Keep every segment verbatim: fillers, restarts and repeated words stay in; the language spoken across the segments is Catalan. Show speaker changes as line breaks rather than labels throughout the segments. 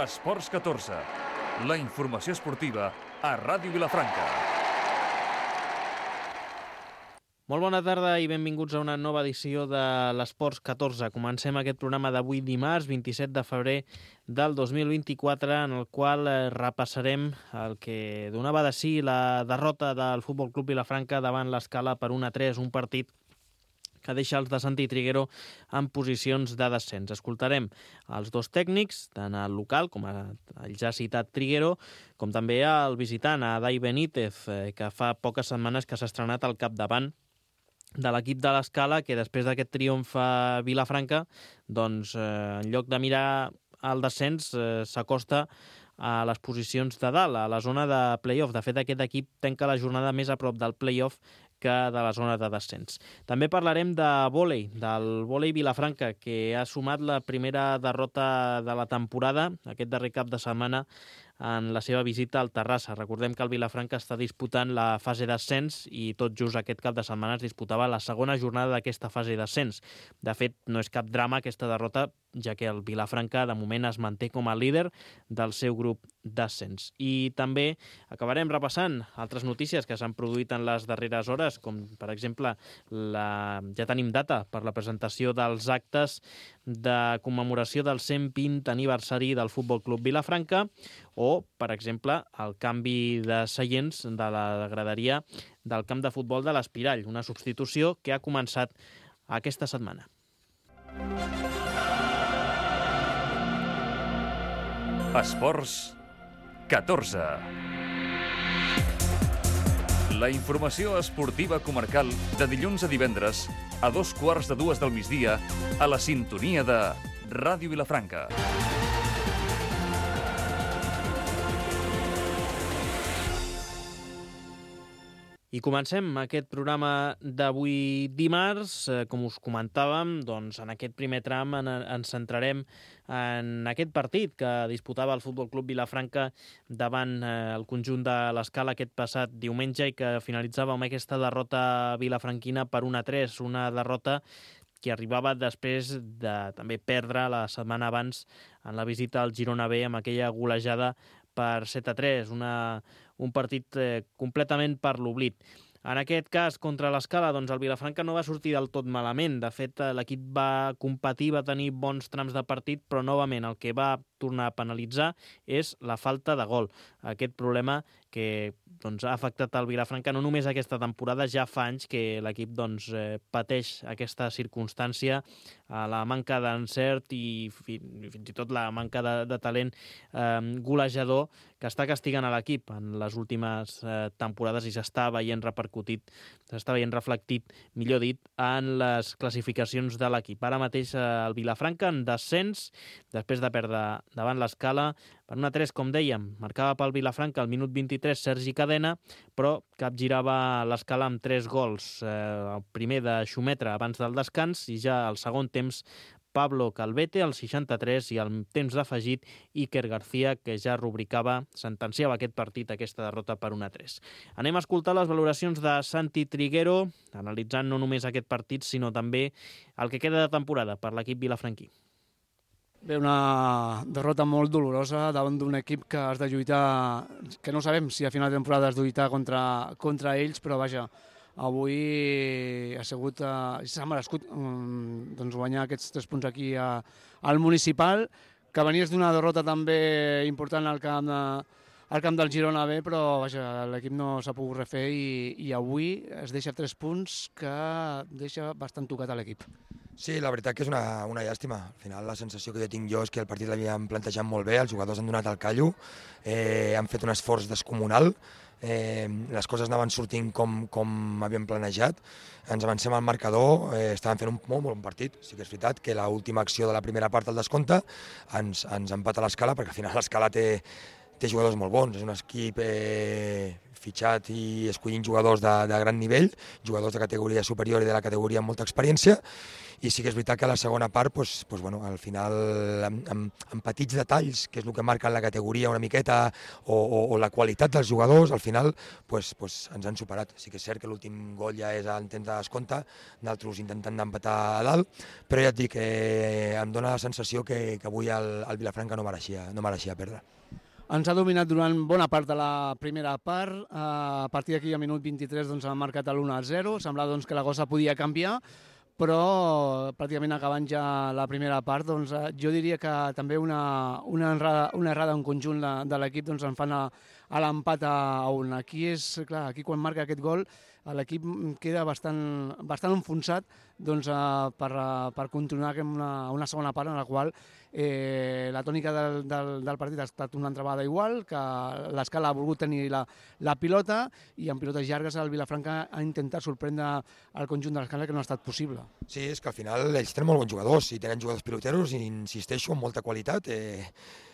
Esports catorze, la informació esportiva a Ràdio Vilafranca.
Molt bona tarda i benvinguts a una nova edició de l'Esports catorze. Comencem aquest programa d'avui dimarts, vint-i-set de febrer del dos mil vint-i-quatre, en el qual repassarem el que donava de si la derrota del Futbol Club Vilafranca davant l'Escala per un a tres, un partit que deixa els de Santi Triguero en posicions de descens. Escoltarem els dos tècnics, tant el local, com el ja citat Triguero, com també el visitant, a Dai Benítez, que fa poques setmanes que s'ha estrenat al capdavant de l'equip de l'Escala, que després d'aquest triomf a Vilafranca, doncs, eh, en lloc de mirar el descens, eh, s'acosta a les posicions de dalt, a la zona de play-off. De fet, aquest equip tanca la jornada més a prop del play-off que de la zona de descens. També parlarem de vòlei, del vòlei Vilafranca, que ha sumat la primera derrota de la temporada, aquest darrer cap de setmana, en la seva visita al Terrassa. Recordem que el Vilafranca està disputant la fase d'ascens i tot just aquest cap de setmana es disputava la segona jornada d'aquesta fase d'ascens. De fet, no és cap drama aquesta derrota, ja que el Vilafranca de moment es manté com a líder del seu grup d'ascens. I també acabarem repassant altres notícies que s'han produït en les darreres hores, com per exemple la... ja tenim data per la presentació dels actes de commemoració del cent vint aniversari del Futbol Club Vilafranca, o, per exemple, el canvi de seients de la graderia del camp de futbol de l'Espirall, una substitució que ha començat aquesta setmana.
Esports catorze. La informació esportiva comarcal de dilluns a divendres a dos quarts de dues del migdia a la sintonia de Ràdio Vilafranca.
I comencem aquest programa d'avui dimarts. Com us comentàvem, doncs en aquest primer tram en, ens centrarem en aquest partit que disputava el Futbol Club Vilafranca davant eh, el conjunt de l'Escala aquest passat diumenge i que finalitzava amb aquesta derrota vilafranquina per un a tres, una derrota que arribava després de també perdre la setmana abans en la visita al Girona B amb aquella golejada per set a tres, una, un partit eh, completament per l'oblit. En aquest cas, contra l'Escala, doncs el Vilafranca no va sortir del tot malament. De fet, l'equip va competir, va tenir bons trams de partit, però novament el que va tornar a penalitzar és la falta de gol. Aquest problema que doncs, ha afectat el Vilafranca no només aquesta temporada, ja fa anys que l'equip doncs, eh, pateix aquesta circumstància, eh, la manca d'encert i fins i tot la manca de, de talent eh, golejador que està castigant a l'equip en les últimes eh, temporades i s'està veient repercutit, s'està veient reflectit, millor dit, en les classificacions de l'equip. Ara mateix eh, el Vilafranca en descens, després de perdre davant l'Escala per un a tres, com dèiem, marcava pel Vilafranca al minut vint-i-tres Sergi Cadena, però capgirava l'Escala amb tres gols. Eh, el primer de Xumetra abans del descans i ja al segon temps Pablo Calvete al seixanta-tres i al temps d'afegit Iker García, que ja rubricava, sentenciava aquest partit, aquesta derrota per un a tres. Anem a escoltar les valoracions de Santi Triguero, analitzant no només aquest partit, sinó també el que queda de temporada per l'equip vilafranquí.
Bé, una derrota molt dolorosa davant d'un equip que has de lluitar, que no sabem si a final de temporada has de lluitar contra, contra ells, però vaja, avui ha sigut, eh, s'ha merescut um, doncs guanyar aquests tres punts aquí a, al Municipal, que venies d'una derrota també important al camp, de, al camp del Girona B, però vaja, l'equip no s'ha pogut refer i, i avui es deixa tres punts que deixa bastant tocat a l'equip.
Sí, la veritat que és una, una llàstima. Al final la sensació que jo tinc jo és que el partit l'havíem plantejat molt bé, els jugadors han donat el callo, eh, han fet un esforç descomunal, eh, les coses anaven sortint com, com havíem planejat, ens avancem al marcador, eh, estàvem fent un molt, molt bon partit. Sí que és veritat que l'última acció de la primera part del descompte ens, ens empata l'Escala, perquè al final l'Escala té, té jugadors molt bons, és un equip eh, fitxat i escollint jugadors de, de gran nivell, jugadors de categoria superior i de la categoria amb molta experiència, i sí que és veritat que a la segona part, pues, pues, bueno, al final, amb, amb, amb petits detalls, que és el que marca la categoria una miqueta, o, o, o la qualitat dels jugadors, al final pues, pues, ens han superat. Sí que és cert que l'últim gol ja és en temps de descompte, nosaltres intentant empatar a dalt, però ja et dic, eh, em dóna la sensació que, que avui el, el Vilafranca no mereixia, no mereixia perdre.
Ens ha dominat durant bona part de la primera part. A partir d'aquí, a minut vint-i-tres, doncs, han marcat l'u a zero. Semblava doncs, que la cosa podia canviar, però pràcticament acabant ja la primera part, doncs, jo diria que també una, una, errada, una errada en conjunt de, de l'equip doncs, en fan a, a l'empat a un. Aquí, és, clar, aquí quan marca aquest gol l'equip queda bastant, bastant enfonsat doncs, per, per continuar una, una segona part en la qual eh, la tònica del, del, del partit ha estat una altra vegada igual, que l'Escala ha volgut tenir la, la pilota i en pilotes llargues el Vilafranca ha intentat sorprendre el conjunt de l'Escala, que no ha estat possible.
Sí, és que al final ells tenen molt bons jugadors i tenen jugadors piloteros i insisteixo amb molta qualitat. Eh...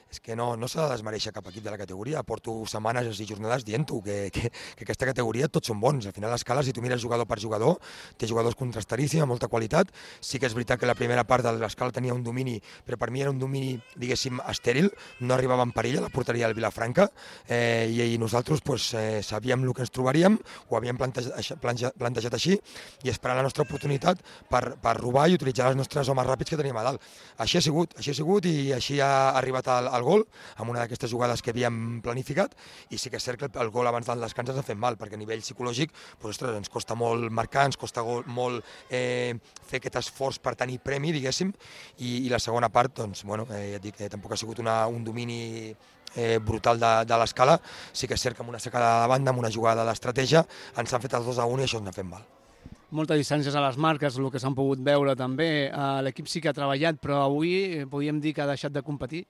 és que no, no s'ha de desmereixer cap equip de la categoria. Porto setmanes i jornades dient-ho, que, que, que aquesta categoria tots són bons. Al final l'Escala, si tu mires jugador per jugador, té jugadors contrastaríssims, amb molta qualitat. Sí que és veritat que la primera part de l'Escala tenia un domini, però per mi era un domini, diguéssim, estèril, no arribava en perill a la porteria del Vilafranca, eh, i, i nosaltres pues, eh, sabíem el que ens trobaríem, ho havíem plantejat, plantejat així, i esperant la nostra oportunitat per, per robar i utilitzar els nostres homes ràpids que teníem a dalt. Així ha sigut, així ha sigut i així ha arribat el el gol, amb una d'aquestes jugades que havíem planificat, i sí que és cert que el gol abans del descans ens ha fet mal, perquè a nivell psicològic pues, ostres, ens costa molt marcar, ens costa molt eh, fer aquest esforç per tenir premi, diguéssim, i, i la segona part, doncs, bueno, eh, ja et dic, eh, tampoc ha sigut una, un domini eh, brutal de, de l'Escala. Sí que és cert que amb una secada de banda, amb una jugada d'estratègia, ens han fet els dos a un i això ens ha fet mal.
Moltes distàncies a les marques, el que s'han pogut veure també. L'equip sí que ha treballat, però avui podríem dir que ha deixat de competir.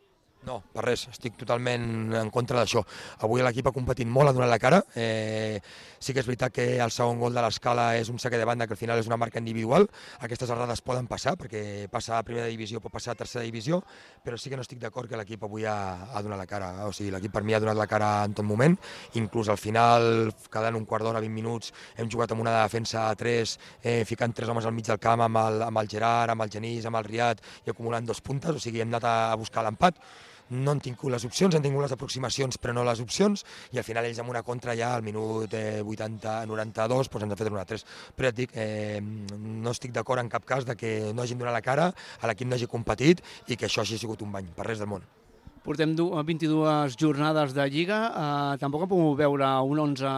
No, per res, estic totalment en contra d'això. Avui l'equip ha competit molt, ha donat la cara. Eh, sí que és veritat que el segon gol de l'Escala és un saque de banda que al final és una marca individual. Aquestes errades poden passar, perquè passa a primera divisió, pot passar a tercera divisió, però sí que no estic d'acord que l'equip avui ha, ha donat la cara. O sigui, l'equip per mi ha donat la cara en tot moment, inclús al final, quedant un quart d'hora, vint minuts, hem jugat amb una defensa a tres, eh, ficant tres homes al mig del camp amb el, amb el Gerard, amb el Genís, amb el Riad i acumulant dos puntes, o sigui, hem anat a, a buscar l'empat. No han tingut les opcions, han tingut les aproximacions però no les opcions, i al final ells amb una contra ja al minut eh, vuitanta noranta-dos doncs ens han fet un a tres. Però ja et dic, eh, no estic d'acord en cap cas de que no hagin donat la cara, a l'equip no hagi competit i que això hagi sigut un bany, per res del món.
Portem vint-i-dues jornades de Lliga, eh, tampoc hem pogut veure un onze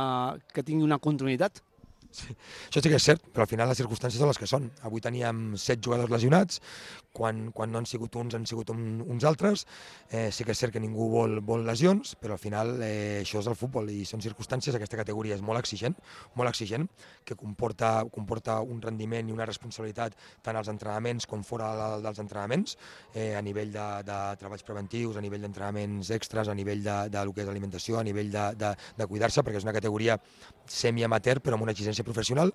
que tingui una continuïtat.
Sí. Això sí que és cert, però al final les circumstàncies són les que són. Avui teníem set jugadors lesionats, quan, quan no han sigut uns han sigut un, uns altres. Eh, sí que és cert que ningú vol, vol lesions, però al final eh, això és el futbol i són circumstàncies. Aquesta categoria és molt exigent, molt exigent, que comporta, comporta un rendiment i una responsabilitat tant als entrenaments com fora dels entrenaments, eh, a nivell de, de treballs preventius, a nivell d'entrenaments extras, a nivell de, de, de lo que és alimentació, a nivell de, de, de cuidar-se, perquè és una categoria semi-amateur però amb una exigència professional,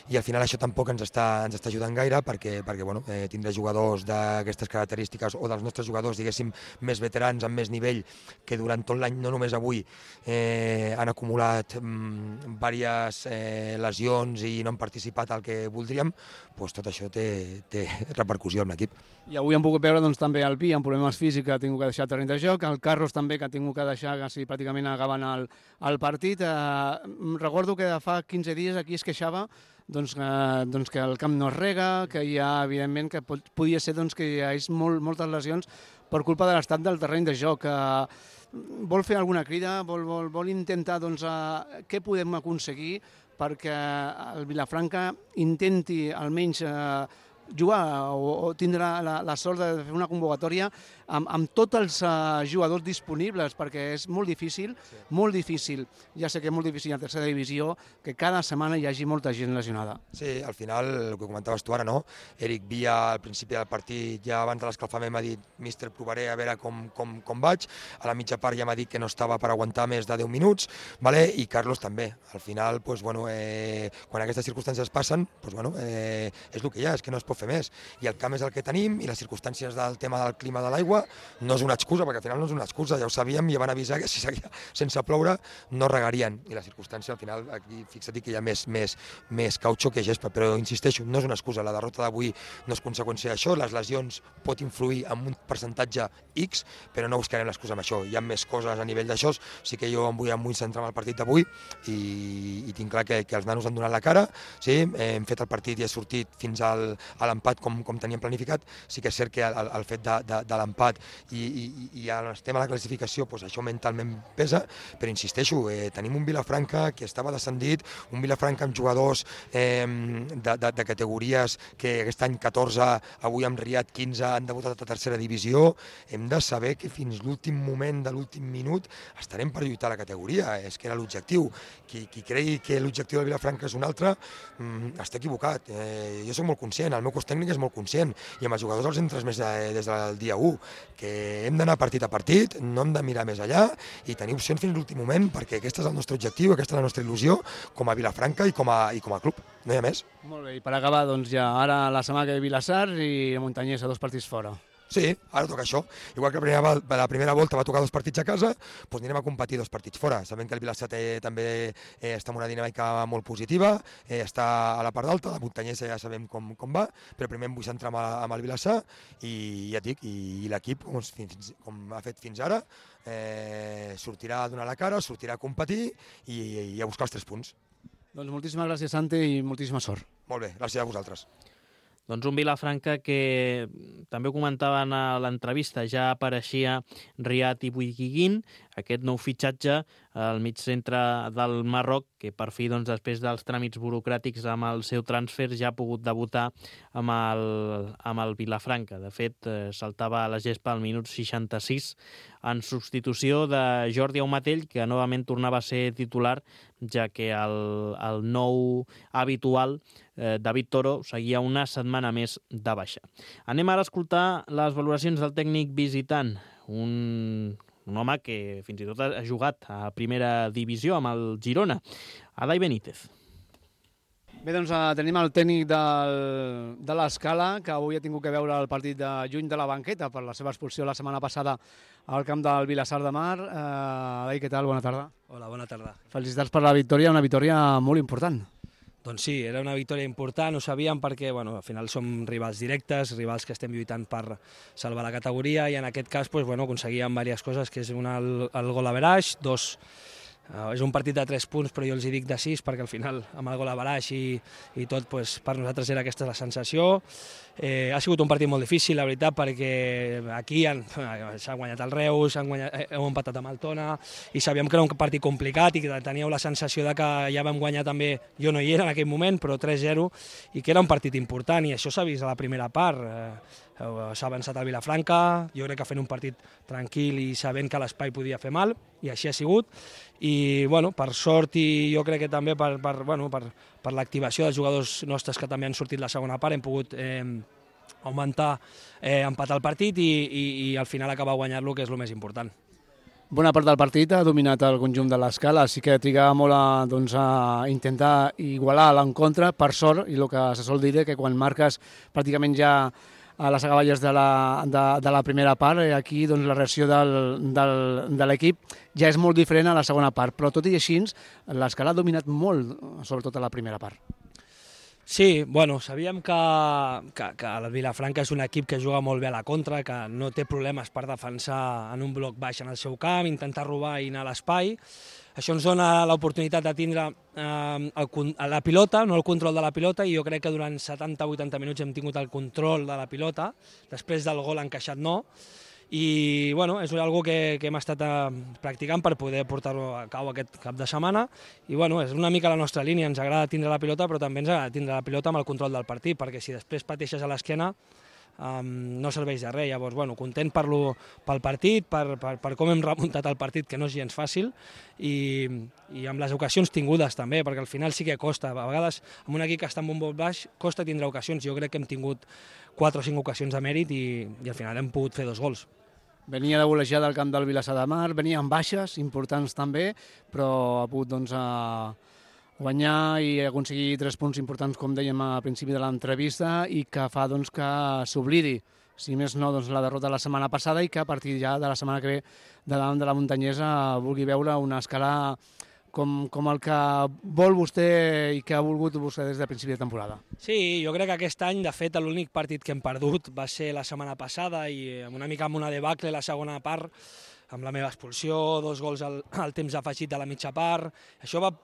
i al final això tampoc ens està, ens està ajudant gaire, perquè, perquè bueno, eh, tindrà jugadors d'aquestes característiques o dels nostres jugadors, diguéssim, més veterans, amb més nivell, que durant tot l'any, no només avui, eh, han acumulat mm, diverses eh, lesions i no han participat al que voldríem, doncs tot això té, té repercussió en l'equip.
I avui hem pogut veure doncs, també el Pi amb problemes físics, que ha tingut que deixar el terreny de joc, el Carlos també, que ha tingut que deixar quasi pràcticament acabant el, el partit. Eh, recordo que fa quinze dies aquí es queixava doncs, eh, doncs que el camp no es rega, que hi ha, evidentment, que pot, podia ser doncs, que hi ha molt, moltes lesions per culpa de l'estat del terreny de joc. Eh, vol fer alguna crida? Vol, vol, vol intentar doncs, eh, què podem aconseguir perquè el Vilafranca intenti almenys eh, jugar o, o tindrà la, la sort de fer una convocatòria amb, amb tots els uh, jugadors disponibles, perquè és molt difícil, sí. molt difícil, ja sé que és molt difícil a tercera divisió, que cada setmana hi hagi molta gent lesionada.
Sí, al final, el que comentaves tu ara, no? Eric Villa, al principi del partit, ja abans de l'escalfament m'ha dit míster, provaré a veure com, com, com vaig, a la mitja part ja m'ha dit que no estava per aguantar més de deu minuts, vale? I Carlos també. Al final, pues, bueno, eh, quan aquestes circumstàncies passen, pues, bueno, eh, és el que hi ha, és que no es pot fer més. I el camp és el que tenim i les circumstàncies del tema del clima de l'aigua no és una excusa, perquè al final no és una excusa, ja ho sabíem i ja van avisar que si seguia sense ploure no regarien. I la circumstància al final, aquí fixa't que hi ha més, més, més cautxó que gespa, però insisteixo, no és una excusa, la derrota d'avui no és conseqüència d'això, les lesions pot influir en un percentatge X, però no buscarem l'excusa amb això. Hi ha més coses a nivell d'això, sí que jo em vull, em vull centrar en el partit d'avui i, i tinc clar que, que els nanos han donat la cara, sí? Hem fet el partit i he sortit fins al, a l'empat com, com teníem planificat. Sí que és cert que el, el fet de, de, de l'empat i, i, i el tema de la classificació, doncs això mentalment pesa, però insisteixo, eh, tenim un Vilafranca que estava descendit, un Vilafranca amb jugadors eh, de, de, de categories que aquest any catorze, avui amb Riad quinze han debutat a tercera divisió. Hem de saber que fins l'últim moment de l'últim minut estarem per lluitar la categoria, és que era l'objectiu. Qui, qui cregui que l'objectiu del Vilafranca és un altre, mmm, està equivocat. Eh, jo soc molt conscient, el meu cos tècnic és molt conscient, i amb els jugadors els hem transmès des del dia u, que hem d'anar partit a partit, no hem de mirar més allà i tenir opcions fins l'últim moment, perquè aquest és el nostre objectiu, aquesta és la nostra il·lusió com a Vilafranca i com a, i com a club, no hi ha més.
Molt bé, i per acabar, doncs ja ara la setmana que ve Vilassar i Montanyès a dos partits fora.
Sí, ara toca això. Igual que la primera, la primera volta va tocar dos partits a casa, doncs anirem a competir dos partits fora. Sabem que el Vilassar té, també eh, està en una dinàmica molt positiva, eh, està a la part alta, la muntanyesa ja sabem com, com va, però primer em vull centrar amb, amb el Vilassar i ja et dic, i, i l'equip, com, com ha fet fins ara, eh, sortirà a donar la cara, sortirà a competir i, i a buscar els tres punts.
Doncs moltíssimes gràcies, Santi, i moltíssima sort.
Molt bé, gràcies a vosaltres.
Doncs un Vilafranca que també ho comentaven a l'entrevista, ja apareixia Riad i Bouiguiguin, aquest nou fitxatge al mig centre del Marroc, que per fi, doncs, després dels tràmits burocràtics amb el seu transfer, ja ha pogut debutar amb el, amb el Vilafranca. De fet, eh, saltava a la gespa al minut seixanta-sis en substitució de Jordi Aumatell, que novament tornava a ser titular, ja que el, el nou habitual, eh, David Toro, seguia una setmana més de baixa. Anem ara a escoltar les valoracions del tècnic visitant, un, un home que fins i tot ha jugat a primera divisió amb el Girona, Adai Benítez.
Bé, doncs eh, tenim el tècnic del, de l'Escala, que avui ha tingut que veure el partit de juny de la banqueta per la seva expulsió la setmana passada al camp del Vilassar de Mar. Eh, Adai, què tal? Bona tarda.
Hola, bona tarda.
Felicitats per la victòria, una victòria molt important.
Doncs sí, era una victòria important, ho sabíem perquè bueno, al final som rivals directes, rivals que estem lluitant per salvar la categoria i en aquest cas pues, bueno, aconseguíem diverses coses, que és una, el, el gol average, dos... Uh, és un partit de tres punts, però jo els hi dic de sis, perquè al final, amb el gol average i, i tot, pues, per nosaltres era aquesta la sensació. Eh, ha sigut un partit molt difícil, la veritat, perquè aquí s'ha guanyat el Reus, han guanyat, heu empatat amb el Tona, i sabíem que era un partit complicat i que teníeu la sensació de que ja vam guanyar també, jo no hi era en aquell moment, però tres zero, i que era un partit important, i això s'ha vist a la primera part. Eh, s'ha avançat al Vilafranca, jo crec que fent un partit tranquil i sabent que l'espai podia fer mal, i així ha sigut, i bueno, per sort i jo crec que també per, per, bueno, per, per l'activació dels jugadors nostres que també han sortit la segona part, hem pogut eh, augmentar, eh, empatar el partit i, i, i al final acabar guanyant-lo, que és el més important.
Bona part del partit ha dominat el conjunt de l'Escala, sí que trigava molt a, doncs, a intentar igualar l'encontre, per sort, i el que se sol dir és que quan marques pràcticament ja a les acaballes de la, de, de la primera part, i aquí doncs, la reacció del, del, de l'equip ja és molt diferent a la segona part, però tot i així l'Escala ha dominat molt, sobretot a la primera part.
Sí, bueno, sabíem que, que, que el Vilafranca és un equip que juga molt bé a la contra, que no té problemes per defensar en un bloc baix en el seu camp, intentar robar i anar a l'espai. Això ens dona l'oportunitat de tindre eh, el, la pilota, no el control de la pilota, i jo crec que durant setanta a vuitanta minuts hem tingut el control de la pilota, després del gol encaixat no, i bueno, és una cosa que, que hem estat eh, practicant per poder portar-ho a cabo aquest cap de setmana, i bueno, és una mica la nostra línia, ens agrada tindre la pilota, però també ens agrada tindre la pilota amb el control del partit, perquè si després pateixes a l'esquena, Um, no serveix de res. Llavors, bueno, content per lo, pel partit, per, per, per com hem remuntat el partit, que no és gens fàcil, i, i amb les ocasions tingudes també, perquè al final sí que costa. A vegades, amb un equip que està en un bloc baix, costa tindre ocasions. Jo crec que hem tingut quatre o cinc ocasions de mèrit i, i al final hem pogut fer dos gols.
Venia de volejar del camp del Vilassar de Mar, venia amb baixes importants també, però ha pogut doncs, a, guanyar i aconseguir tres punts importants, com dèiem a principi de l'entrevista, i que fa doncs, que s'oblidi, si més no, doncs, la derrota de la setmana passada i que a partir ja de la setmana que ve de davant de la Muntanyesa vulgui veure una escala com, com el que vol vostè i que ha volgut vostè des de principi de temporada.
Sí, jo crec que aquest any, de fet, l'únic partit que hem perdut va ser la setmana passada i una mica amb una debacle la segona part, amb la meva expulsió, dos gols al, al temps afegit de la mitja part. Això va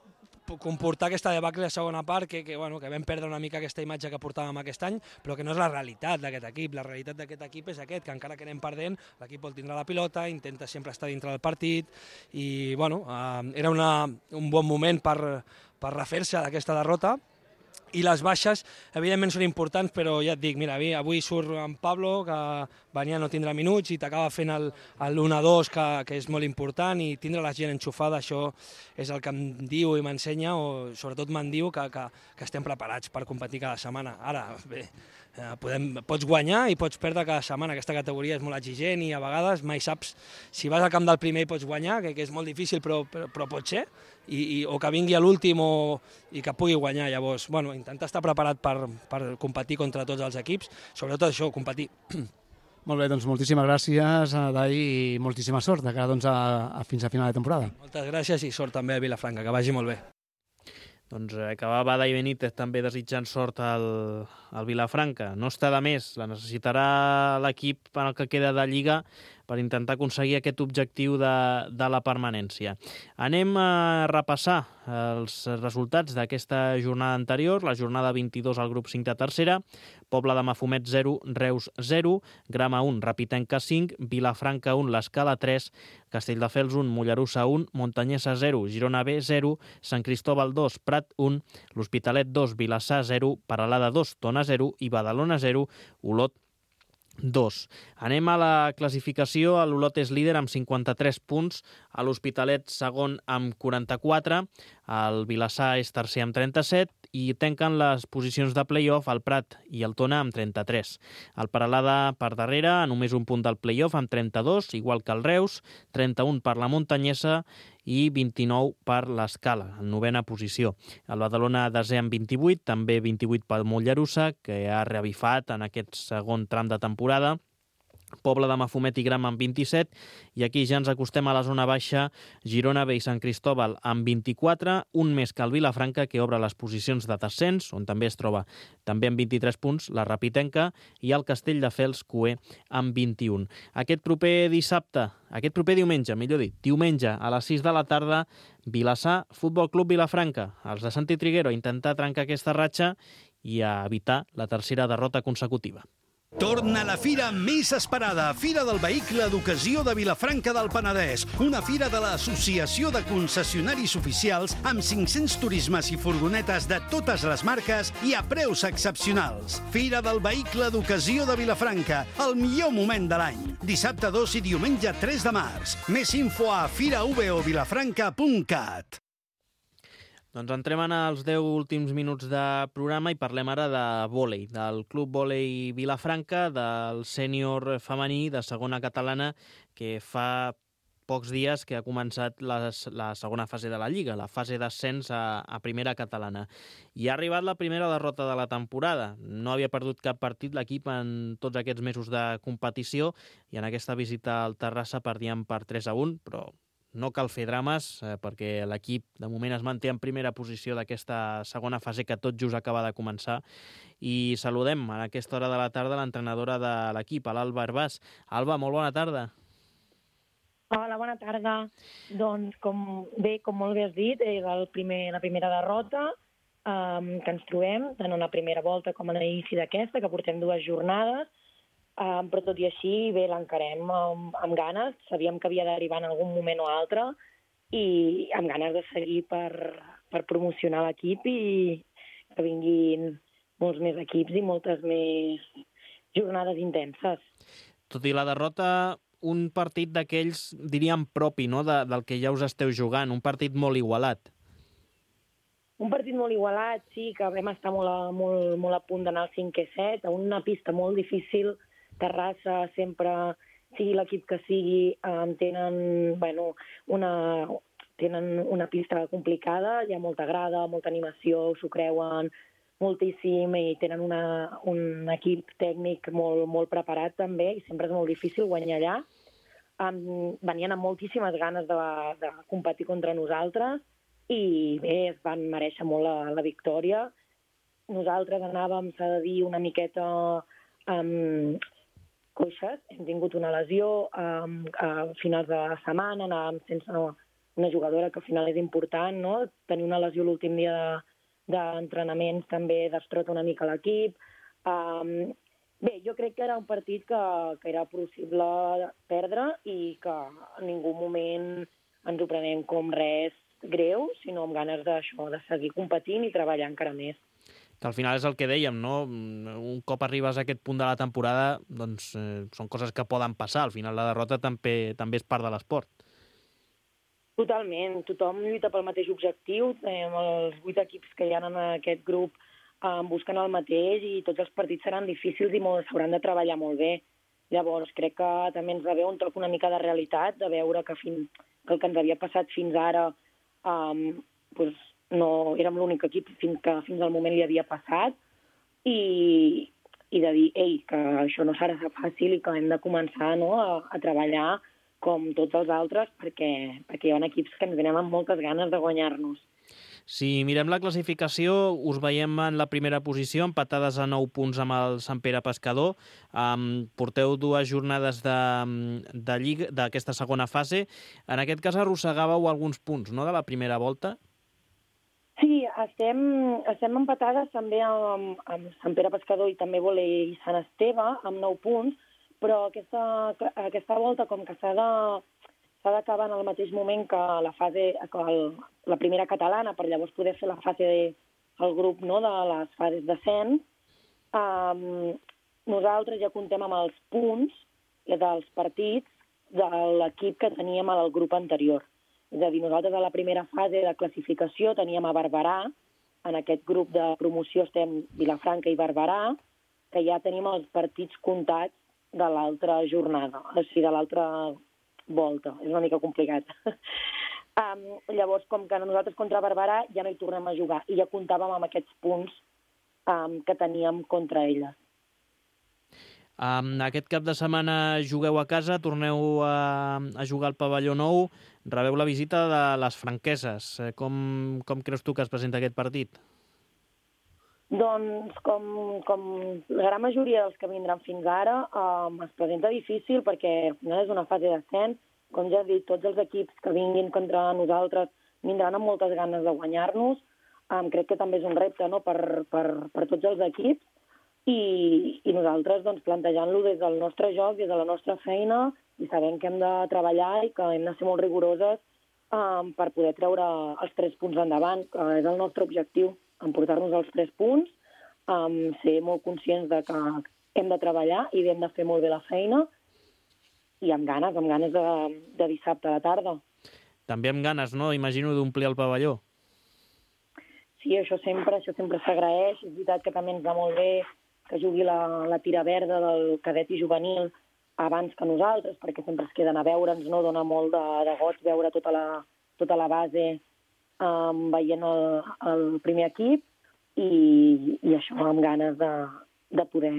comportar aquesta debacle a la segona part, que, que, bueno, que vam perdre una mica aquesta imatge que portàvem aquest any, però que no és la realitat d'aquest equip. La realitat d'aquest equip és aquest, que encara que anem perdent, l'equip vol tindre la pilota, intenta sempre estar dintre del partit, i bueno, eh, era una, un bon moment per, per refer-se d'aquesta derrota. I les baixes, evidentment, són importants, però ja et dic, mira, avui surt en Pablo, que venia a no tindre minuts, i t'acaba fent l'u a dos, que, que és molt important, i tindre la gent enxufada, això és el que em diu i m'ensenya, o sobretot me'n diu, que, que, que estem preparats per competir cada setmana. Ara, bé, podem, pots guanyar i pots perdre cada setmana. Aquesta categoria és molt exigent i a vegades mai saps si vas al camp del primer i pots guanyar, que, que és molt difícil, però, però, però pot ser, i, i, o que vingui a l'últim i que pugui guanyar. Llavors, bueno, intentar estar preparat per, per competir contra tots els equips, sobretot això, competir.
Molt bé, doncs moltíssimes gràcies, Dai, i moltíssima sort de cara doncs, a, a fins a final de temporada.
Moltes gràcies i sort també a Vilafranca, que vagi molt bé.
Doncs acabava Dai Benítez també desitjant sort al, al Vilafranca. No està de més, la necessitarà l'equip en el que queda de Lliga per intentar aconseguir aquest objectiu de, de la permanència. Anem a repassar els resultats d'aquesta jornada anterior, la jornada vint-i-dos al grup cinc de tercera, Pobla de Mafumet zero, Reus zero, Grama un, Rapitenca cinc, Vilafranca un, l'Escala tres, Castelldefels un, Mollerussa un, Montanyesa zero, Girona B zero, Sant Cristóbal dos, Prat un, l'Hospitalet dos, Vilassar zero, Peralada dos, Tona zero i Badalona zero, Olot dos. Anem a la classificació. L'Olot és líder amb cinquanta-tres punts, a l'Hospitalet segon amb quaranta-quatre, el Vilassar és tercer amb trenta-set i tanquen les posicions de play-off el Prat i el Tona amb trenta-tres. El Peralada per darrere, a només un punt del play-off amb trenta-dos, igual que el Reus, trenta-un per la Montanyesa i vint-i-nou per l'Escala, en novena posició. El Badalona desè amb vint-i-vuit, també vint-i-vuit pel Mollerussa, que ha reavifat en aquest segon tram de temporada. Pobla de Mafumet i Grama amb vint-i-set, i aquí ja ens acostem a la zona baixa, Girona B i Sant Cristóbal amb vint-i-quatre, un més que el Vilafranca, que obre les posicions de descens, on també es troba també amb vint-i-tres punts, la Rapitenca, i el Castelldefels Cué amb vint-i-un. Aquest proper dissabte, aquest proper diumenge, millor dit, diumenge a les sis de la tarda, Vilassar, Futbol Club Vilafranca. Els de Santi Triguero a intentar trencar aquesta ratxa i a evitar la tercera derrota consecutiva.
Torna la fira més esperada, Fira del Vehicle d'Ocasió de Vilafranca del Penedès, una fira de l'Associació de Concessionaris Oficials amb cinc-cents turismes i furgonetes de totes les marques i a preus excepcionals. Fira del Vehicle d'Ocasió de Vilafranca, el millor moment de l'any. Dissabte dos i diumenge tres de març. Més info a fira v o vilafranca punt cat.
Doncs entrem en els deu últims minuts de programa i parlem ara de vòlei, del Club Vòlei Vilafranca, del sènior femení de segona catalana, que fa pocs dies que ha començat la, la segona fase de la Lliga, la fase d'ascens a, a primera catalana. I ha arribat la primera derrota de la temporada. No havia perdut cap partit l'equip en tots aquests mesos de competició i en aquesta visita al Terrassa perdien per tres a un, però no cal fer drames, eh, perquè l'equip de moment es manté en primera posició d'aquesta segona fase que tot just acaba de començar. I saludem a aquesta hora de la tarda l'entrenadora de l'equip, l'Alba Herbàs. Alba, molt bona tarda.
Hola, bona tarda. Doncs, com bé, com molt bé has dit, és el primer, la primera derrota um, que ens trobem, tant en la primera volta com a l'inici d'aquesta, que portem dues jornades. Um, però tot i així, bé, l'encarem amb, amb ganes. Sabíem que havia d'arribar en algun moment o altre i amb ganes de seguir per, per promocionar l'equip i que vinguin molts més equips i moltes més jornades intenses.
Tot i la derrota, un partit d'aquells, diríem, propi, no?, de, del que ja us esteu jugant, un partit molt igualat.
Un partit molt igualat, sí, que vam estar molt a, molt, molt a punt d'anar al cinquè set, a una pista molt difícil. Terrassa sempre, sigui l'equip que sigui, eh, tenen bueno, una, tenen una pista complicada, hi ha molta grada, molta animació, s'ho creuen moltíssim i tenen una, un equip tècnic molt, molt preparat també i sempre és molt difícil guanyar allà. Um, venien amb moltíssimes ganes de, de competir contra nosaltres i bé, es van mereixer molt la, la victòria. Nosaltres anàvem, s'ha de dir, una miqueta um, coixes, hem tingut una lesió um, a finals de la setmana, anàvem sense una jugadora que al final és important, no? Tenir una lesió l'últim dia de d'entrenaments també destrota una mica l'equip. Um, bé, jo crec que era un partit que, que era possible perdre i que en ningú moment ens ho prenem com res greu, sinó amb ganes d'això, de seguir competint i treballar encara més.
Que al final és el que dèiem, no? Un cop arribes a aquest punt de la temporada, doncs eh, són coses que poden passar. Al final la derrota també, també és part de l'esport.
Totalment, tothom lluita pel mateix objectiu, eh, els vuit equips que hi ha en aquest grup eh, busquen el mateix i tots els partits seran difícils i s'hauran de treballar molt bé. Llavors crec que també ens va haver un toc una mica de realitat, de veure que, fin, que el que ens havia passat fins ara eh, doncs no érem l'únic equip fins que fins al moment li havia passat i, i de dir, ei, que això no serà fàcil i que hem de començar, no, a, a treballar com tots els altres, perquè, perquè hi ha equips que ens venen amb moltes ganes de guanyar-nos.
Si mirem la classificació, us veiem en la primera posició, empatades a nou punts amb el Sant Pere Pescador. Um, porteu dues jornades de, de lliga d'aquesta segona fase. En aquest cas arrossegàveu alguns punts, no?, de la primera volta?
Sí, estem, estem empatades també amb, amb Sant Pere Pescador i també Volei i Sant Esteve, amb nou punts, però aquesta, aquesta volta, com que s'ha de, s'ha d'acabar en el mateix moment que la fase, que el, la primera catalana, per llavors poder fer la fase de, el grup, no, de les fases d'ascens, um, nosaltres ja contem amb els punts dels partits de l'equip que teníem al grup anterior. És a dir, nosaltres a la primera fase de classificació teníem a Barberà, en aquest grup de promoció estem Vilafranca i Barberà, que ja tenim els partits comptats de l'altra jornada, o sigui, de l'altra volta. És una mica complicat. um, llavors, com que nosaltres contra Barberà ja no hi tornem a jugar i ja comptàvem amb aquests punts um, que teníem contra elles.
Um, aquest cap de setmana jugueu a casa, torneu a, a jugar al pavelló nou, rebeu la visita de les franqueses. Com, com creus tu que es presenta aquest partit?
Doncs, com, com la gran majoria dels que vindran fins ara, um, es presenta difícil perquè al final és una fase d'ascens. Com ja he dit, tots els equips que vinguin contra nosaltres vindran amb moltes ganes de guanyar-nos. Um, crec que també és un repte, no?, per, per, per tots els equips i, i nosaltres doncs, plantejant-lo des del nostre joc, des de la nostra feina i sabent que hem de treballar i que hem de ser molt rigoroses um, per poder treure els tres punts endavant, que és el nostre objectiu. Emportar-nos els tres punts, um, ser molt conscients de que hem de treballar i hem de fer molt bé la feina i amb ganes, amb ganes de, de dissabte a la tarda.
També amb ganes, no?, imagino, d'omplir el pavelló.
Sí, això sempre això sempre s'agraeix. És veritat que també ens va molt bé que jugui la, la tira verda del cadet i juvenil abans que nosaltres, perquè sempre es queden a veure'ns, no? Dona molt de, de goig veure tota la, tota la base Um, veient el, el primer equip i, i això amb ganes de, de, poder,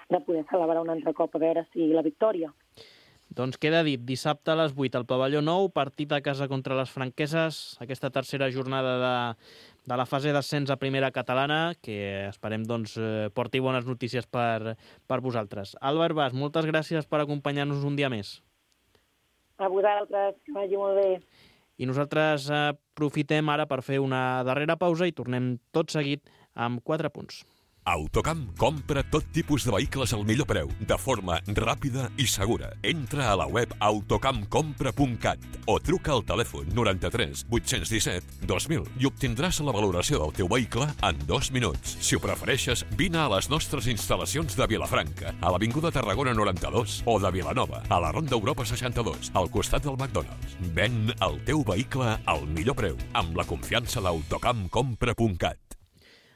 de poder celebrar un altre cop a veure si la victòria.
Doncs queda dit, dissabte a les vuit al pavelló nou, partit a casa contra les franqueses, aquesta tercera jornada de, de la fase d'ascens a primera catalana, que esperem doncs, porti bones notícies per, per vosaltres. Àlvar Bas, moltes gràcies per acompanyar-nos un dia més.
A vosaltres, que vagi molt bé.
I nosaltres aprofitem ara per fer una darrera pausa i tornem tot seguit amb quatre punts.
Autocamp compra tot tipus de vehicles al millor preu, de forma ràpida i segura. Entra a la web autocamp compra punt cat o truca al telèfon noranta-tres vuit-cents disset dos mil i obtindràs la valoració del teu vehicle en dos minuts. Si ho prefereixes, vine a les nostres instal·lacions de Vilafranca, a l'Avinguda Tarragona noranta-dos o de Vilanova, a la Ronda Europa seixanta-dos, al costat del McDonald's. Ven el teu vehicle al millor preu, amb la confiança d'autocamp compra punt cat.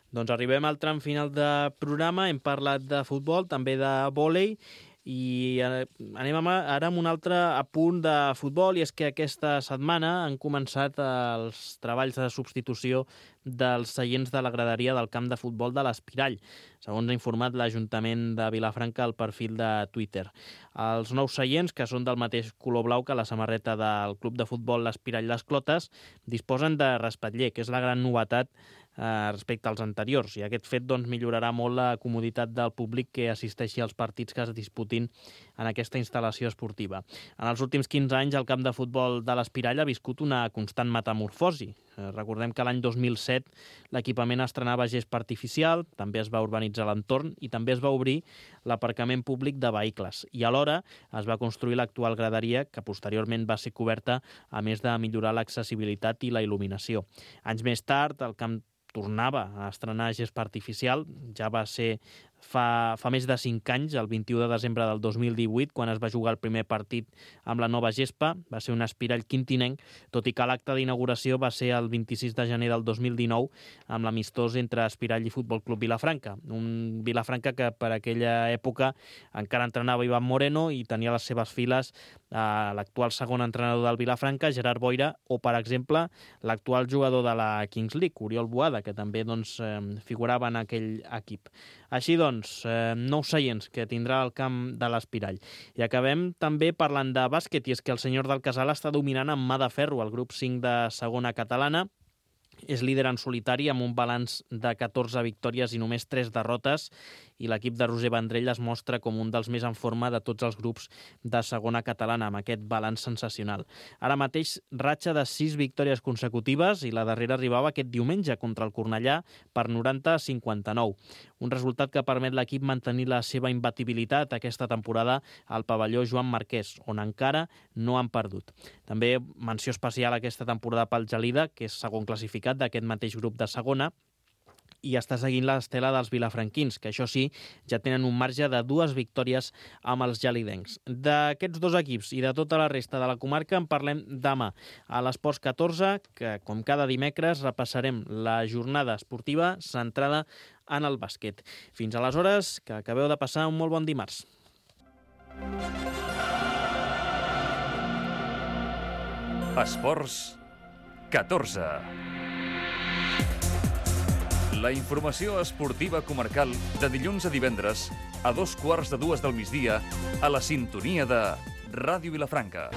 Doncs arribem al tram final de programa, hem parlat de futbol, també de vòlei, I anem ara amb un altre apunt de futbol, i és que aquesta setmana han començat els treballs de substitució dels seients de la graderia del camp de futbol de l'Espirall, segons ha informat l'Ajuntament de Vilafranca al perfil de Twitter. Els nous seients, que són del mateix color blau que la samarreta del club de futbol l'Espirall Les Clotes, disposen de respatller, que és la gran novetat eh, respecte als anteriors, i aquest fet doncs, millorarà molt la comoditat del públic que assisteixi als partits que es disputin en aquesta instal·lació esportiva. En els últims quinze anys, el camp de futbol de l'Espirall ha viscut una constant metamorfosi. Eh, recordem que l'any dos mil set l'equipament estrenava gespa artificial, també es va urbanitzar l'entorn i també es va obrir l'aparcament públic de vehicles. I alhora es va construir l'actual graderia, que posteriorment va ser coberta, a més de millorar l'accessibilitat i la il·luminació. Anys més tard, el camp tornava a estrenar gespa artificial, ja va ser fa, fa més de cinc anys, el vint-i-u de desembre del dos mil divuit, quan es va jugar el primer partit amb la nova gespa, va ser un Espirall quintinenc, tot i que l'acte d'inauguració va ser el vint-i-sis de gener del dos mil dinou, amb l'amistós entre Espirall i Futbol Club Vilafranca. Un Vilafranca que per aquella època encara entrenava Ivan Moreno i tenia a les seves files eh, l'actual segon entrenador del Vilafranca, Gerard Boira, o, per exemple, l'actual jugador de la Kings League, Oriol Boada, que també doncs, eh, figurava en aquell equip. Així doncs, eh, nous seients que tindrà el camp de l'Espirall. I acabem també parlant de bàsquet, i és que el senyor del Casal està dominant amb mà de ferro el grup cinc de segona catalana. És líder en solitari amb un balanç de catorze victòries i només tres derrotes, i l'equip de Roger Vendrell es mostra com un dels més en forma de tots els grups de segona catalana, amb aquest balanç sensacional. Ara mateix, ratxa de sis victòries consecutives, i la darrera arribava aquest diumenge contra el Cornellà per noranta a cinquanta-nou. Un resultat que permet l'equip mantenir la seva imbatibilitat aquesta temporada al pavelló Joan Marquès, on encara no han perdut. També menció especial aquesta temporada pel Gelida, que és segon classificat d'aquest mateix grup de segona, i està seguint l'estela dels vilafranquins, que això sí, ja tenen un marge de dues victòries amb els gelidencs. D'aquests dos equips i de tota la resta de la comarca en parlem demà a l'Esports catorze, que com cada dimecres repassarem la jornada esportiva centrada en el bàsquet. Fins aleshores, que acabeu de passar un molt bon dimarts.
Esports catorze. La informació esportiva comarcal de dilluns a divendres a dos quarts de dues del migdia a la sintonia de Ràdio Vilafranca.